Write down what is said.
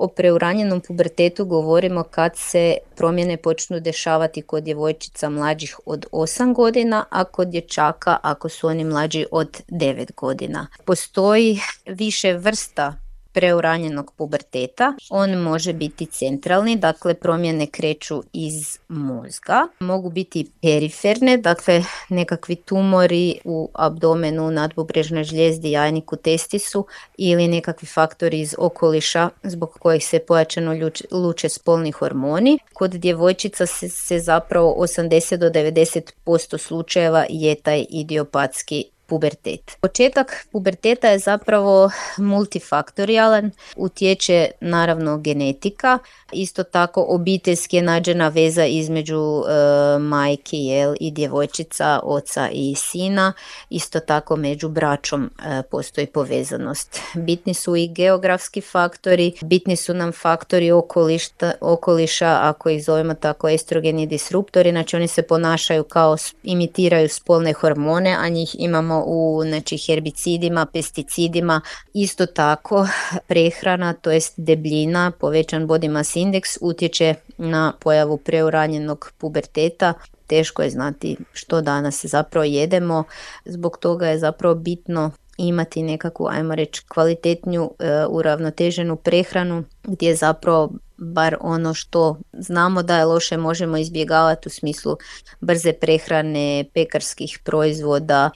O preuranjenom pubertetu govorimo kad se promjene počnu dešavati kod djevojčica mlađih od 8 godina, a kod dječaka ako su oni mlađi od 9 godina. Postoji više vrsta preuranjenog puberteta. On može biti centralni, dakle promjene kreću iz mozga. Mogu biti periferne, dakle nekakvi tumori u abdomenu, nadbubrežnoj žlijezdi, jajniku, testisu ili nekakvi faktori iz okoliša zbog kojih se pojačano luče spolni hormoni. Kod djevojčica se zapravo 80 do 90% slučajeva je taj idiopatski pubertet. Početak puberteta je zapravo multifaktorijalan, utječe naravno genetika, isto tako obiteljski je nađena veza između majke i djevojčica, oca i sina, isto tako među braćom postoji povezanost. Bitni su i geografski faktori, bitni su nam faktori okoliša, ako ih zovemo tako estrogeni disruptori, znači oni se ponašaju kao imitiraju spolne hormone, a njih imamo u herbicidima, pesticidima. Isto tako prehrana, to jest debljina, povećan body mass index utječe na pojavu preuranjenog puberteta. Teško je znati što danas zapravo jedemo, zbog toga je zapravo bitno imati nekakvu, ajmo reći, kvalitetniju, uravnoteženu prehranu gdje zapravo bar ono što znamo da je loše možemo izbjegavati u smislu brze prehrane, pekarskih proizvoda